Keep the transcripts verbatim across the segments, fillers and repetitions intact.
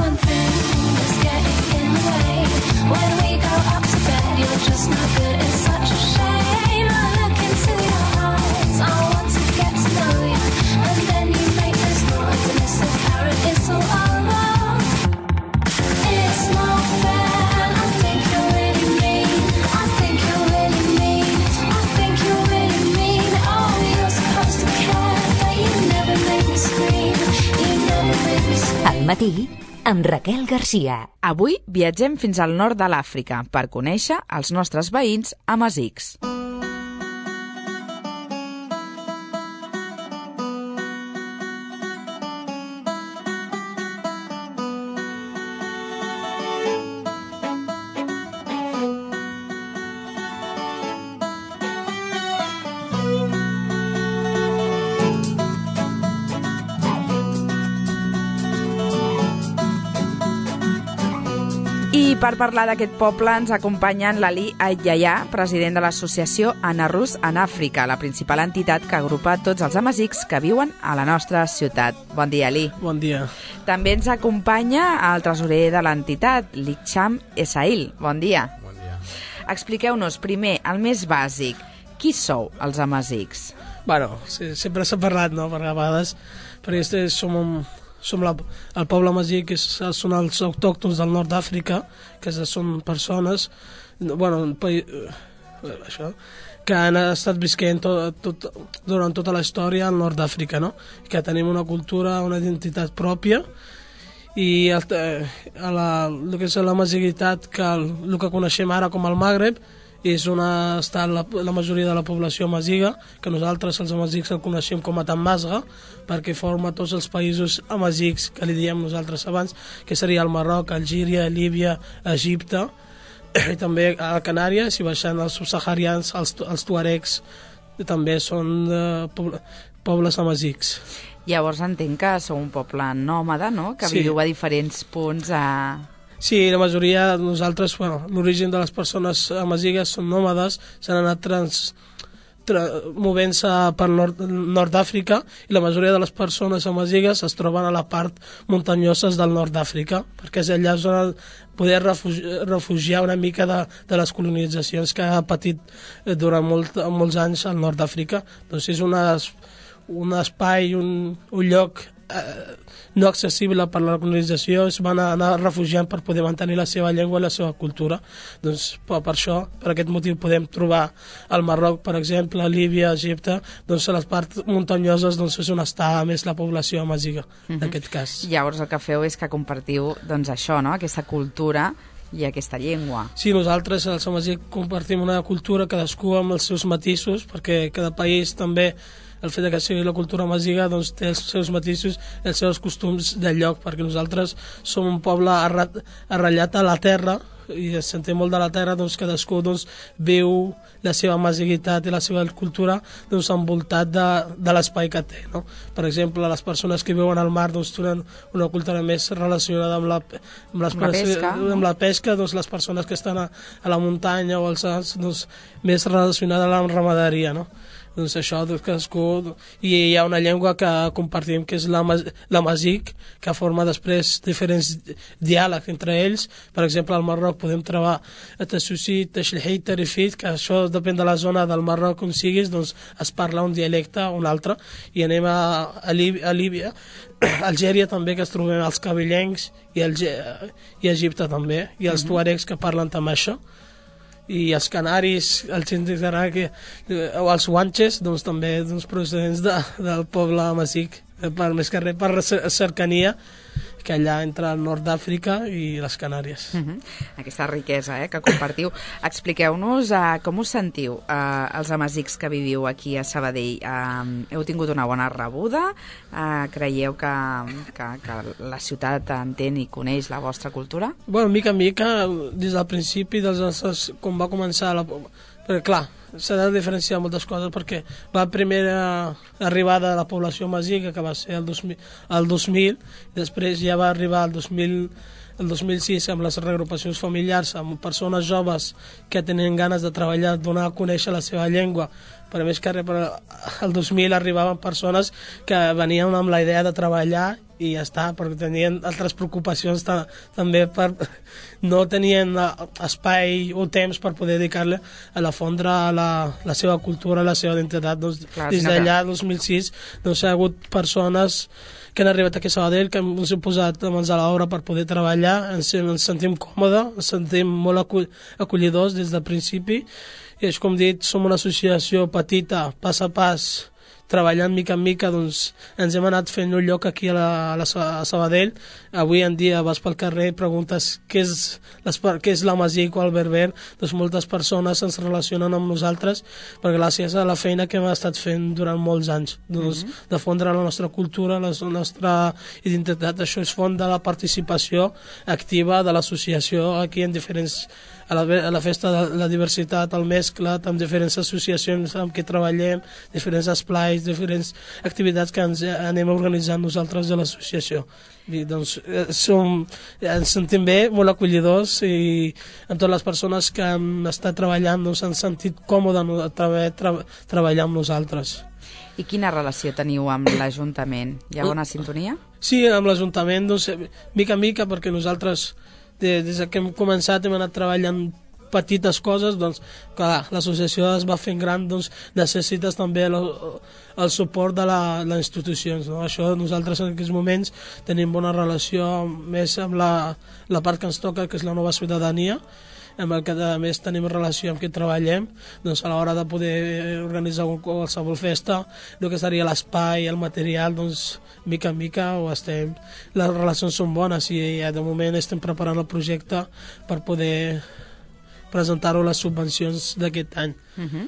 one thing that's getting in the way. When we go up to bed, you're just no good. It's such a shame. I look into your eyes. I want to get to know you, and then you make this noise, and it's a carrot. It's all over. It's not fair. I think you're really mean. I think you're really mean. I think you're really mean. Oh, you're supposed to care, but you never make me scream. You never make me scream. Al matí, amb Raquel Garcia. Avui viatgem fins al nord de l'Àfrica per conèixer els nostres veïns amazics. I per parlar d'aquest poble ens acompanyen l'Ali Ayaya, president de l'associació Anarrus en Àfrica, la principal entitat que agrupa tots els amazics que viuen a la nostra ciutat. Bon dia, Ali. Bon dia. També ens acompanya el tresorer de l'entitat, Licham Esail. Bon dia. Bon dia. Expliqueu-nos primer, el més bàsic, qui sou els amazics? Bueno, sí, sempre s'ha parlat, no?, per a vegades, perquè este som un... Som la, el poble amazic, que són els autòctons del nord d'Àfrica, que són persones, bueno, això, que han estat visquent tot, tot, durant tota la història al nord d'Àfrica, no? Que tenim una cultura, una identitat pròpia, i el, a la, el que és l'amaziguitat, que el, el que coneixem ara com el Magreb, és on està la, la majoria de la població amaziga, que nosaltres els amazics el coneixem com a Tamazga, perquè forma tots els països amazics que li diem nosaltres abans, que seria el Marroc, Algíria, Líbia, Egipte, i també a Canàries, i baixant els subsaharians, els, els tuaregs, també són eh, pobles amazics. Llavors entenc que sou un poble nòmada, no?, que Sí. viviu a diferents punts a... Sí, la majoria de nosaltres, bueno, l'origen de les persones amazigues són nòmades, s'han anat trans, tra, movent-se per nord, nord d'Àfrica, i la majoria de les persones amazigues es troben a la part muntanyoses del nord d'Àfrica, perquè és allà on poder refugiar, refugiar una mica de, de les colonitzacions que ha patit durant molt, molts anys al nord d'Àfrica. Doncs és una, un espai, un, un lloc eh, no accessible per la colonització, es van anar refugiant per poder mantenir la seva llengua i la seva cultura. Doncs per, per això, per aquest motiu, podem trobar al Marroc, per exemple, a Líbia, a Egipte, doncs a les parts muntanyoses doncs, és on està més la població amaziga, en Mhm. aquest cas. Llavors el que feu és que compartiu doncs, això, no?, aquesta cultura i aquesta llengua. Sí, nosaltres, els amazics, compartim una cultura, cadascú amb els seus matisos, perquè cada país també, el fet que sigui la cultura amaziga, doncs, té els seus matisos, els seus costums del lloc, perquè nosaltres som un poble arrat, arrellat a la terra, i es sentim molt de la terra, doncs cadascú doncs, viu la seva amaziguitat i la seva cultura doncs, envoltat de, de l'espai que té, no? Per exemple, les persones que viuen al mar doncs, tenen una cultura més relacionada amb la, amb les Amb la persones- pesca. amb la pesca, doncs, les persones que estan a, a la muntanya o als Alps, doncs, més relacionada amb la ramaderia, no? Doncs això, doncs, cadascú... I hi ha una llengua que compartim, que és l'amazic, que forma després diferents diàlegs entre ells. Per exemple, al Marroc podem trobar Tassusi, Tashlhi, Tarifit, que això depèn de la zona del Marroc on siguis, doncs es parla un dialecte o un altre. I anem a, a, Líbia, a Líbia, Algèria també, que es trobem els cabellencs, i, Alge, i Egipte també, i els tuaregs que parlen també això. I els canaris, els índics que, o els guanxes, doncs també doncs, procedents de, del poble amazic, per, més que res per cercania, que allà entre el nord d'Àfrica i les Canàries. Uh -huh. Aquesta riquesa eh, que compartiu. Expliqueu-nos uh, com us sentiu, uh, els amazics que viviu aquí a Sabadell. Uh, heu tingut una bona rebuda? Uh, creieu que, que, que la ciutat entén i coneix la vostra cultura? Bueno, mica en mica, des del principi, dels nostres, com va començar la... Perquè, clar, s'ha de diferenciar moltes coses, perquè la primera arribada de la població amaziga, que va ser el dos mil, el dos mil, i després ja va arribar el dos mil, el dos mil sis amb les reagrupacions familiars, amb persones joves que tenen ganes de treballar, donar a conèixer la seva llengua. Per més que el dos mil arribaven persones que venien amb la idea de treballar i ja està, perquè tenien altres preocupacions ta també, per no tenien espai o temps per poder dedicar-li a la fondre la, la seva cultura, la seva identitat. Doncs, Clar, des sinó d'allà, que- dos mil sis, doncs, hi ha hagut persones que han arribat aquí a Sabadell, que ens hem posat mans a l'obra per poder treballar, ens, ens sentim còmodes, ens sentim molt acull acollidors des del principi, i és com dit, som una associació petita, pas a pas, treballant mica en mica, doncs ens hem anat fent un lloc aquí a, la, a, la, a Sabadell. Avui en dia vas pel carrer i preguntes què és, les, què és l'Amazic o el Berber, doncs moltes persones ens relacionen amb nosaltres, perquè gràcies a la feina que hem estat fent durant molts anys, doncs, mm -hmm. de fondre la nostra cultura, la nostra identitat. Això és font de la participació activa de l'associació aquí en diferents, a la, a la festa de la diversitat, al mescle, amb diferents associacions amb què treballem, diferents esplais, diferents activitats que ens anem organitzant nosaltres de l'associació. I, doncs, som, ens sentim bé, molt acollidors, i amb totes les persones que han estat treballant doncs, han sentit còmode no, tra tra treballar amb nosaltres. I quina relació teniu amb l'Ajuntament? Hi ha bona sintonia? Sí, amb l'Ajuntament, doncs, mica en mica, perquè nosaltres, de, des que hem començat, hem anat treballant petites coses, doncs, clar, l'associació es va fent gran, doncs, necessites també el, el suport de la, les institucions, no? Això nosaltres en aquests moments tenim bona relació més amb la, la part que ens toca, que és la nova ciutadania, amb el que a més tenim relació amb qui treballem, doncs a l'hora de poder organitzar qualsevol festa, el que seria l'espai, el material, doncs mica en mica ho estem, les relacions són bones i ja de moment estem preparant el projecte per poder presentar-ho a les subvencions d'aquest any. Uh -huh.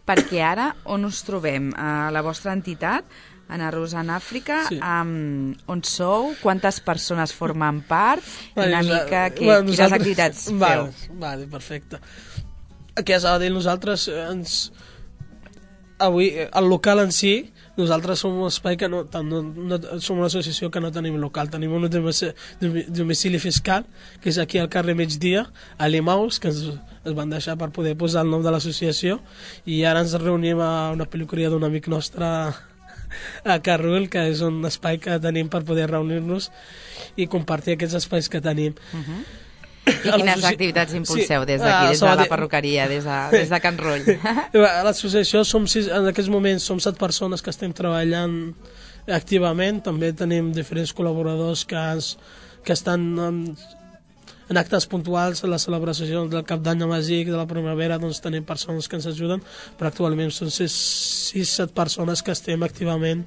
Perquè ara on us trobem? A la vostra entitat, Ana Rosa en Àfrica, Sí. um, on sou? Quantes persones formen part? I Vale, una nosa- mica que, bueno, quines nosaltres- activitats feu? Vale, vale, perfecte. Aquí a Sabadell nosaltres eh, ens... Avui, eh, el local en si, nosaltres som un espai que no, no, no som una associació que no tenim local, tenim un domicili, domicili fiscal, que és aquí al carrer Migdia, a Limaus, que ens, ens van deixar per poder posar el nom de l'associació, i ara ens reunim a una pel·licuria d'un amic nostre a Carrul, que és un espai que tenim per poder reunir-nos i compartir aquests espais que tenim. Uh -huh. I quines activitats impulseu Sí, des d'aquí, a des de la Sabadell- perruqueria, des de, des de Can Roll? A l'associació som sis, en aquests moments som set persones que estem treballant activament, també tenim diferents col·laboradors que, es, que estan en, en actes puntuals, a la celebració del Cap d'Any Amazic, de la primavera, doncs tenim persones que ens ajuden, però actualment són sis set persones que estem activament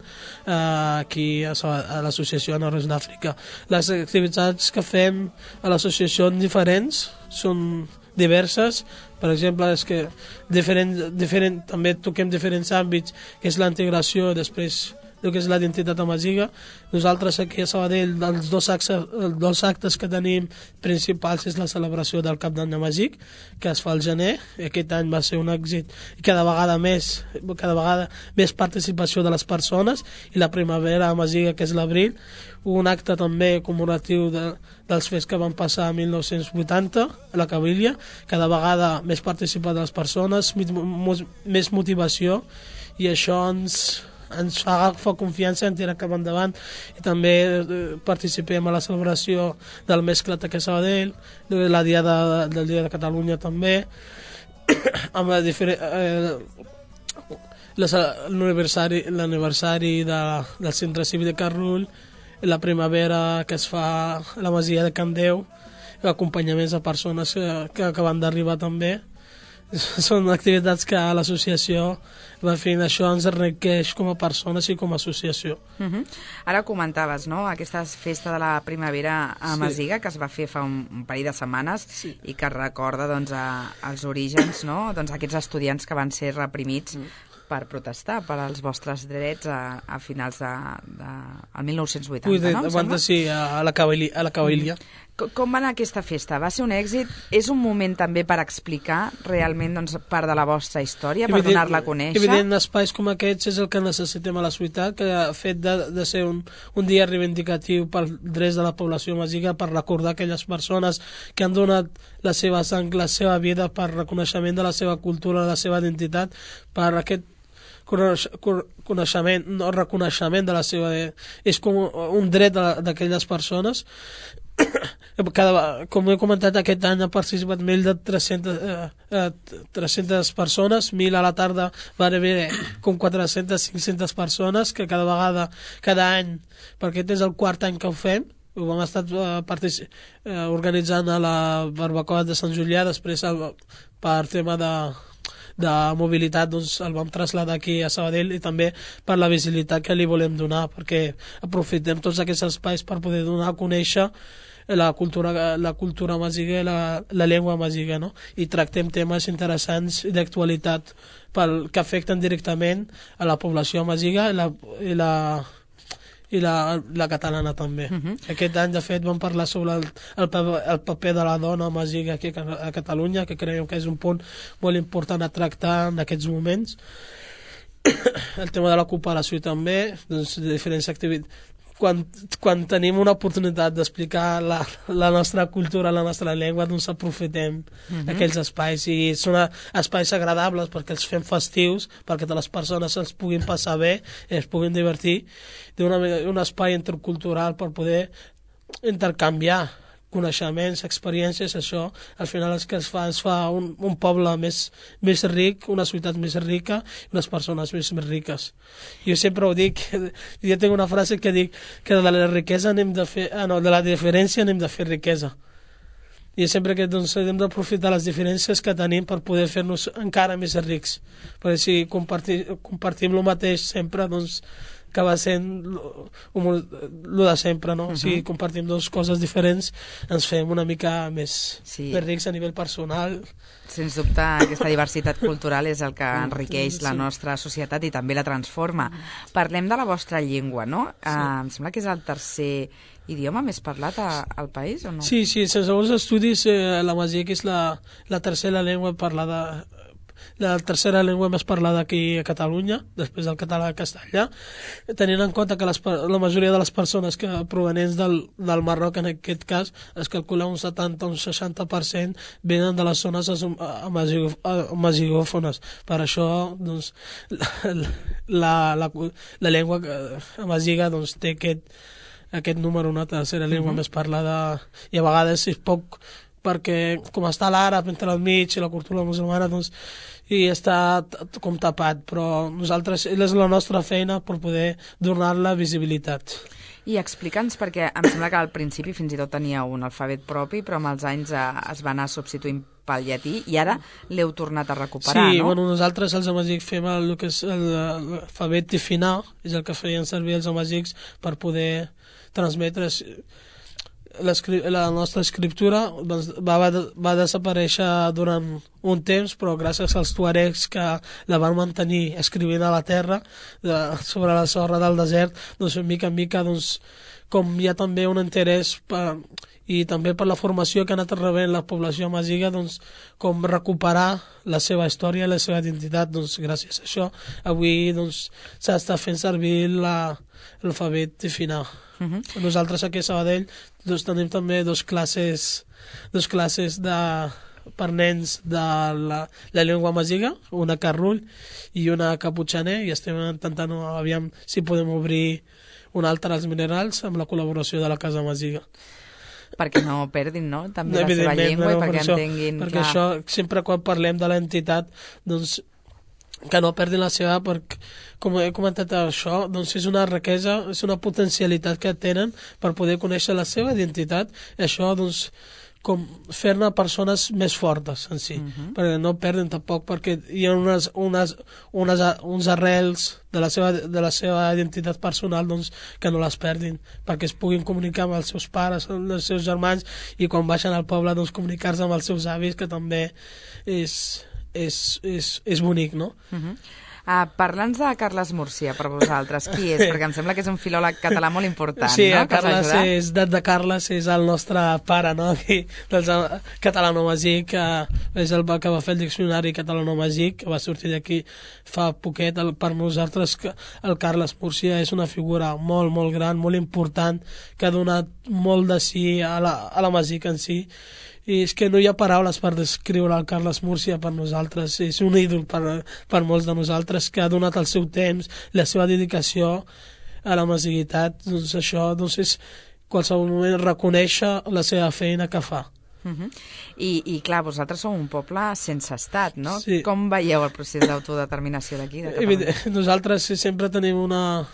eh, aquí a, a l'associació Ana Rosa d'Àfrica. Les activitats que fem a l'associació són diferents, són diverses, per exemple, és que diferent, diferent, també toquem diferents àmbits, que és la integració, després el que és la identitat amaziga. Nosaltres aquí a Sabadell, els dos actes, els dos actes que tenim principals és la celebració del Cap d'Any Amazic, que es fa al gener. Aquest any va ser un èxit i cada vegada més, cada vegada més participació de les persones, i la primavera amaziga, que és l'abril, un acte també commemoratiu de, dels fets que van passar a mil nou-cents vuitanta a la Cabília, cada vegada més participació de les persones, més motivació, i això ens ens fa agafar confiança en tirar cap endavant, i també eh, participem a la celebració del mescle aquí a Sabadell, la diada, del Dia de Catalunya també, amb eh, l'aniversari l'aniversari de, del centre cívic de Carrull, la primavera que es fa a la masia de Can Déu, acompanyaments a persones que, que acaben d'arribar també. Són activitats que a l'associació va fent, això ens enriqueix com a persones i com a associació. Uh -huh. Ara comentaves, no?, aquesta festa de la primavera a Masiga, sí, que es va fer fa un, un parell de setmanes, sí, i que recorda, doncs, a, als orígens, no?, doncs aquests estudiants que van ser reprimits mm. per protestar per als vostres drets a, a finals de, de al mil nou-cents vuitanta, no? Abans de, sí, a la Cabília. A la Cabília. Mm. Com va anar aquesta festa? Va ser un èxit? És un moment també per explicar realment, doncs, part de la vostra història, per donar-la a conèixer? Evident, espais com aquests és el que necessitem a la ciutat, que ha fet de, de ser un, un dia reivindicatiu per drets de la població masiga, per recordar aquelles persones que han donat la seva sang, la seva vida, per reconeixement de la seva cultura, de la seva identitat, per aquest coneixement, no reconeixement de la seva... És com un dret d'aquelles persones. Cada, com he comentat, aquest any ha participat més de tres-centes, eh, tres-centes persones, mil a la tarda va haver com quatre-centes, cinc-centes persones, que cada vegada, cada any, perquè aquest és el quart any que ho fem, ho hem estat eh, eh, organitzant a la barbacoa de Sant Julià, després el, per tema de, de mobilitat doncs el vam traslladar aquí a Sabadell, i també per la visibilitat que li volem donar, perquè aprofitem tots aquests espais per poder donar a conèixer la cultura, la cultura amaziga i la, la llengua amaziga, no? I tractem temes interessants i d'actualitat pel, que afecten directament a la població amaziga i la, i la, i la, la catalana també. Uh-huh. Aquest any, de fet, vam parlar sobre el, el, el paper de la dona amaziga aquí a Catalunya, que creiem que és un punt molt important a tractar en aquests moments. El tema de la cooperació també, doncs, de diferents activitats. Quan, quan tenim una oportunitat d'explicar la, la nostra cultura, la nostra llengua, doncs aprofitem uh-huh. aquells espais, i són espais agradables perquè els fem festius, perquè totes les persones els puguin passar bé, es puguin divertir, d'un espai intercultural per poder intercanviar coneixements, experiències. Això al final és que es fa, es fa un, un poble més, més ric, una ciutat més rica, unes persones més, més riques. Jo sempre ho dic, jo tinc una frase que dic que de la riquesa anem de fer, ah, no, de la diferència anem de fer riquesa. I sempre que doncs, hem d'aprofitar les diferències que tenim per poder fer-nos encara més rics, perquè si compartir, compartim el mateix sempre, doncs acaba sent el de sempre, no? Uh-huh. Si compartim dues coses diferents ens fem una mica més, sí. més rics a nivell personal. Sens dubte, aquesta diversitat cultural és el que enriqueix sí. la nostra societat i també la transforma. Parlem de la vostra llengua, no? Sí. Uh, em sembla que és el tercer idioma més parlat a, al país, o no? Sí, sí, segons estudis, eh, l'amazic és la, la tercera llengua parlada, la tercera llengua més parlada aquí a Catalunya, després del català i castellà, tenint en compte que les, la majoria de les persones que provenents del, del Marroc, en aquest cas, es calcula un setanta o un seixanta per cent venen de les zones amazigòfones. Per això, doncs, la, la, la llengua amaziga doncs, té aquest, aquest número, una tercera llengua uh-huh. més parlada, i a vegades és poc, perquè com està l'àrab entre el mig i la cultura musulmana, doncs, i està com tapat, però nosaltres, és la nostra feina per poder donar-la visibilitat. I explica'ns, perquè em sembla que al principi fins i tot tenia un alfabet propi, però amb els anys eh, es va anar substituint pel llatí, i ara l'heu tornat a recuperar, sí, no? Bueno, nosaltres els amazics fem el, el que és l'alfabet tifinà, és el que feien servir els amazics per poder transmetre la nostra escriptura. Va, va desaparèixer durant un temps, però gràcies als tuaregs que la van mantenir escrivint a la terra, de, sobre la sorra del desert, doncs mica en mica, doncs, com hi ha també un interès per, i també per la formació que ha anat rebent la població amaziga, doncs, com recuperar la seva història i la seva identitat, doncs, gràcies a això avui doncs, s'està fent servir l'alfabet tifinà. Uh-huh. Nosaltres aquí a Sabadell doncs, tenim també dos classes, dos classes de, per nens de la, la llengua amaziga, una carrull i una caputxaner, i estem intentant aviam si podem obrir una altra als minerals amb la col·laboració de la Casa Amaziga. Perquè no perdin, no? També no, la seva llengua no, i perquè això, entenguin... Perquè clar. Això, sempre quan parlem de l'entitat, doncs, que no perdin la seva, perquè, com he comentat això, doncs és una riquesa, és una potencialitat que tenen per poder conèixer la seva identitat, i això, doncs, com fer-ne persones més fortes en si, uh-huh. perquè no perden tampoc, perquè hi ha unes, unes, unes, uns arrels de la seva, de la seva identitat personal, doncs, que no les perdin, perquè es puguin comunicar amb els seus pares, amb els seus germans, i quan baixen al poble, doncs, comunicar-se amb els seus avis, que també és... És, és, és bonic, no? Uh-huh. uh, Parla'ns de Carles Múrcia, per vosaltres. Qui és? Perquè em sembla que és un filòleg català molt important, sí, no? Sí, Carles és, de Carles és el nostre pare, no? Aquí, del catalano-amazic, que és el que va fer el diccionari catalano-amazic, que va sortir d'aquí fa poquet. El, per nosaltres, el Carles Múrcia és una figura molt, molt gran, molt important, que ha donat molt de sí a l'amazic en si, i és que no hi ha paraules per descriure el Carles Múrcia per nosaltres. És un ídol per, per molts de nosaltres, que ha donat el seu temps, la seva dedicació a la masiguitat. Doncs això, doncs és qualsevol moment reconèixer la seva feina que fa. Uh -huh. I, I clar, vosaltres sou un poble sense estat, no? Sí. Com veieu el procés d'autodeterminació d'aquí, de Catalunya? Nosaltres sempre tenim una...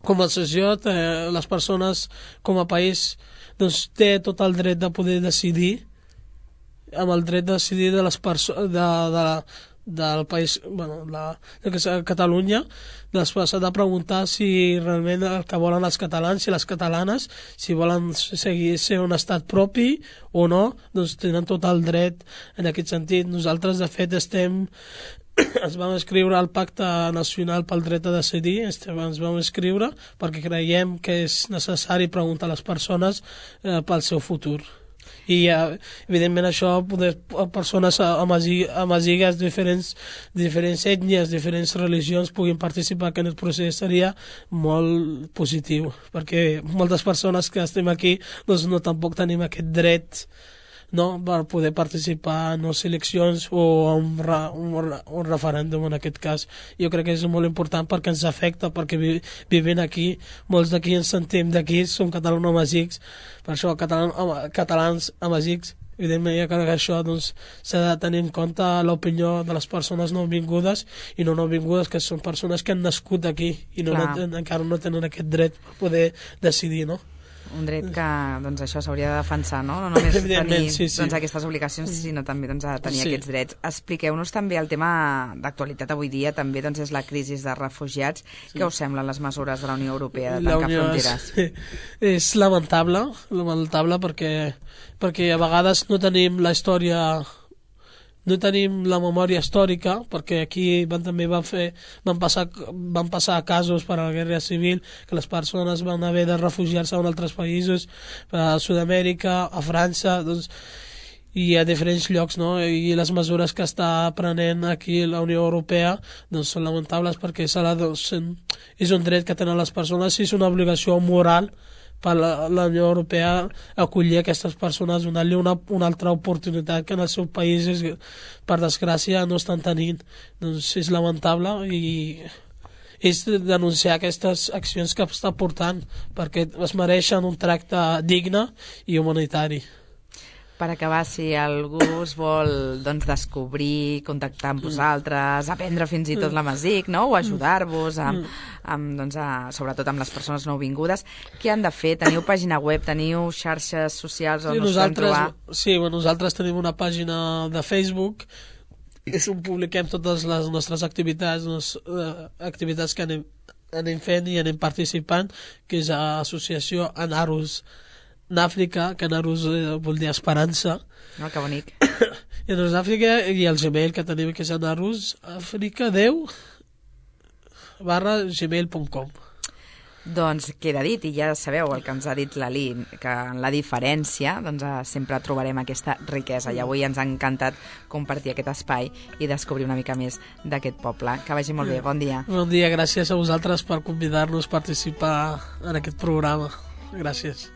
Com a associació, les persones com a país doncs, té tot el dret de poder decidir, amb el dret de decidir de les persones de, de, del país, bueno, la, de que és Catalunya, després s'ha de preguntar si realment el que volen els catalans i les catalanes, si volen seguir ser un estat propi o no, doncs tenen tot el dret en aquest sentit. Nosaltres, de fet, estem ens vam escriure al Pacte Nacional pel Dret a Decidir, ens vam escriure perquè creiem que és necessari preguntar a les persones eh, pel seu futur. I eh, evidentment això, poder, persones amazigues, diferents, diferents ètnies, diferents religions puguin participar en el procés seria molt positiu, perquè moltes persones que estem aquí doncs no tampoc tenim aquest dret, no, per poder participar en les eleccions o un, un, un referèndum en aquest cas. Jo crec que és molt important perquè ens afecta, perquè vi, vivint aquí, molts d'aquí ens sentim d'aquí, som catalans amazics, per això catalans, catalans amazics, evidentment jo crec que això doncs, s'ha de tenir en compte l'opinió de les persones no vingudes i no no vingudes, que són persones que han nascut aquí i no, no, encara no tenen aquest dret per poder decidir, no? Un dret que, doncs, això s'hauria de defensar, no? No només tenir sí, sí. doncs, aquestes obligacions, sinó també doncs, a tenir sí. aquests drets. Expliqueu-nos també el tema d'actualitat avui dia, també doncs, és la crisi de refugiats. Sí. Què us semblen les mesures de la Unió Europea de tancar fronteres? És, és lamentable, lamentable perquè, perquè a vegades no tenim la història... no tenim la memòria històrica, perquè aquí van, també van, fer, van, passar, van passar casos per a la guerra civil, que les persones van haver de refugiar-se en altres països, a Sud-amèrica, a França, doncs, i a diferents llocs, no? I les mesures que està prenent aquí la Unió Europea doncs, són lamentables perquè serà, doncs, és un dret que tenen les persones i és una obligació moral per la, la Unió Europea acollir aquestes persones, donar-li una, una altra oportunitat que en els seus països, per desgràcia, no estan tenint. Doncs és lamentable i és denunciar aquestes accions que està portant perquè es mereixen un tracte digne i humanitari. Per acabar, si algú us vol doncs, descobrir, contactar amb vosaltres, aprendre fins i tot l'amazic, no? O ajudar-vos, amb, amb, doncs, a, sobretot amb les persones nouvingudes, què han de fer? Teniu pàgina web, teniu xarxes socials on sí, us podem trobar? Sí, bueno, nosaltres tenim una pàgina de Facebook és on publiquem totes les nostres activitats, les uh, activitats que anem, anem fent i anem participant, que és l'associació Anarus d'Àfrica, que Anarus eh, vol dir esperança. Oh, que bonic. I Anarus d'Àfrica i el Gmail que tenim, que és Anarus Àfrica deu barra gmail punt com. Doncs queda dit, i ja sabeu el que ens ha dit l'Ali, que en la diferència doncs, sempre trobarem aquesta riquesa, i avui ens ha encantat compartir aquest espai i descobrir una mica més d'aquest poble. Que vagi molt bé, bon dia. Bon dia, gràcies a vosaltres per convidar-nos a participar en aquest programa. Gràcies.